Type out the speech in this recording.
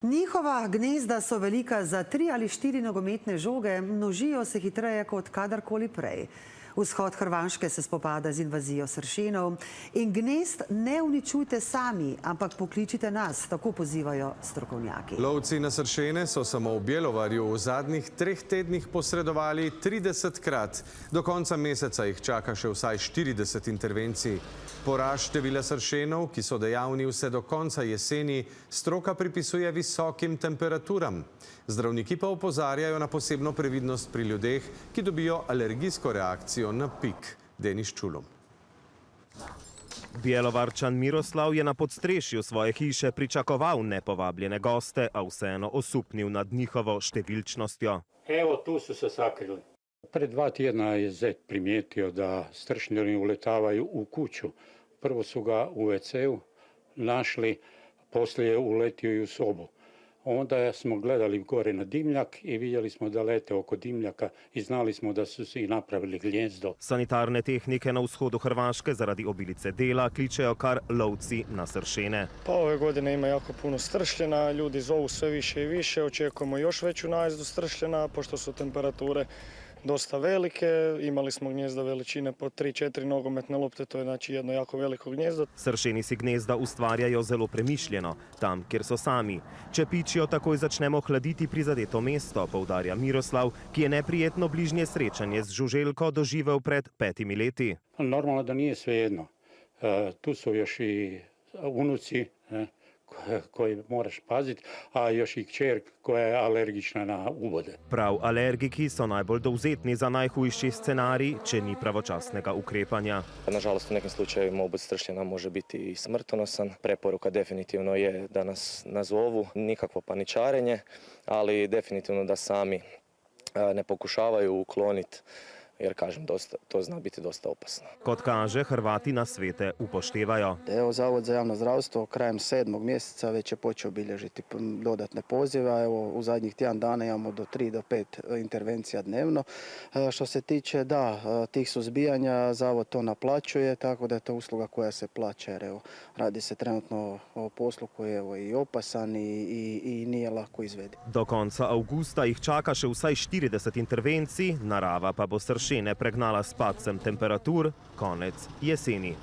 Njihova gnezda so velika za 3 ali 4 nogometne žoge, množijo se hitreje kot kadarkoli prej. Vzhod Hrvaške se spopada z invazijo sršenov in gnezd ne uničujte sami, ampak pokličite nas, tako pozivajo strokovnjaki. Lovci na sršene so samo v Bjelovarju v zadnjih 3 tednih posredovali 30-krat. Do konca meseca jih čaka še vsaj 40 intervencij. Porast števila sršenov, ki so dejavni vse do konca jeseni, stroka pripisuje visokim temperaturam. Zdravniki pa opozarjajo na posebno previdnost pri ljudeh, ki dobijo alergijsko reakcijo na pik. Denis Čulum. Bjelovarčan Miroslav je na podstrešju svoje hiše pričakoval nepovabljene goste, a vseeno osupnil nad njihovo številčnostjo. Evo, tu su se sakrili. Pred 2 tjedna je zet primijetio da stršnjari uletavaju u kuću. Prvo su ga u WC-u našli, poslije je uletio i u sobu. Onda smo gledali gore na dimljak i vidjeli smo da lete oko dimljaka i znali smo da su si napravili gnjezdo. Sanitarne tehnike na vzhodu Hrvaške zaradi obilice dela kličejo kar lovci na sršene. Pa ove godine ima jako puno stršljena, ljudi zovu sve više i više, očekujemo još veću najezdu stršljena, pošto su temperature dosta velike, imali smo gnjezda veličine po 3-4 nogometne lopte, to je znači jedno jako veliko gnjezdo. Sršeni si gnezda ustvarjajo zelo premišljeno, tam, kjer so sami. Če pičijo, takoj začnemo hladiti prizadeto mesto, poudarja Miroslav, ki je neprijetno bližnje srečanje z žuželko doživel pred 5 leti. Normalno da nije svejedno. Tu su još i unuci koji moraš paziti, a još i kćer koja je alergična na uvode. Prav alergiki so najbolj dovzetni za najhujši scenarij, če ni pravočasnega ukrepanja. Nažalost, u nekim slučajevima obud stršljena može biti i smrtonosan. Preporuka definitivno je da nas nazovu, nikakvo paničarenje, ali definitivno da sami ne pokušavaju ukloniti, jer kažem, to zna biti dosta opasno. Kot kaže, Hrvati na svete upoštevajo. Evo, Zavod za javno zdravstvo krajem 7. mjeseca već je počeo bilježiti dodatne pozive, a evo u zadnjih tjedan dana imamo do 3 do 5 intervencija dnevno. Što se tiče tih suzbijanja, Zavod to naplaćuje, tako da je to usluga koja se plaća, jer evo, radi se trenutno o poslu koji je evo, i opasan i nije lako izvediv. Do konca avgusta jih čaka še vsaj 40 intervencij, narava pa bo sršene pregnala s padcem temperatur konec jeseni.